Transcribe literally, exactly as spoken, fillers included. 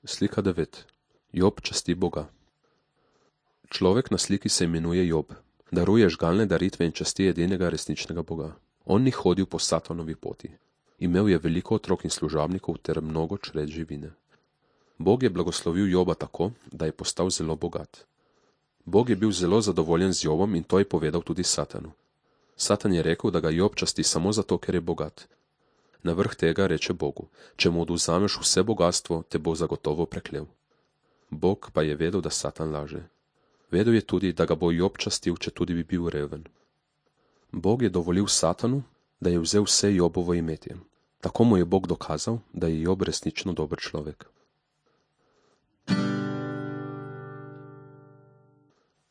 Slika devet. Job časti Boga. Človek na sliki se imenuje Job. Daruje žgalne daritve in časti edinega resničnega Boga. On ni hodil po Satanovi poti. Imel je veliko otrok in služabnikov ter mnogo čred živine. Bog je blagoslovil Joba tako, da je postal zelo bogat. Bog je bil zelo zadovoljen z Jobom in to je povedal tudi Satanu. Satan je rekel, da ga Job časti samo zato, ker je bogat. Na vrh tega reče Bogu: če mu odvzameš vse bogatstvo, te bo zagotovo preklel. Bog pa je vedel, da Satan laže. Vedel je tudi, da ga bo Job častil, če tudi bi bil reven. Bog je dovolil Satanu, da je vzel vse Jobovo imetje. Tako mu je Bog dokazal, da je Job resnično dober človek.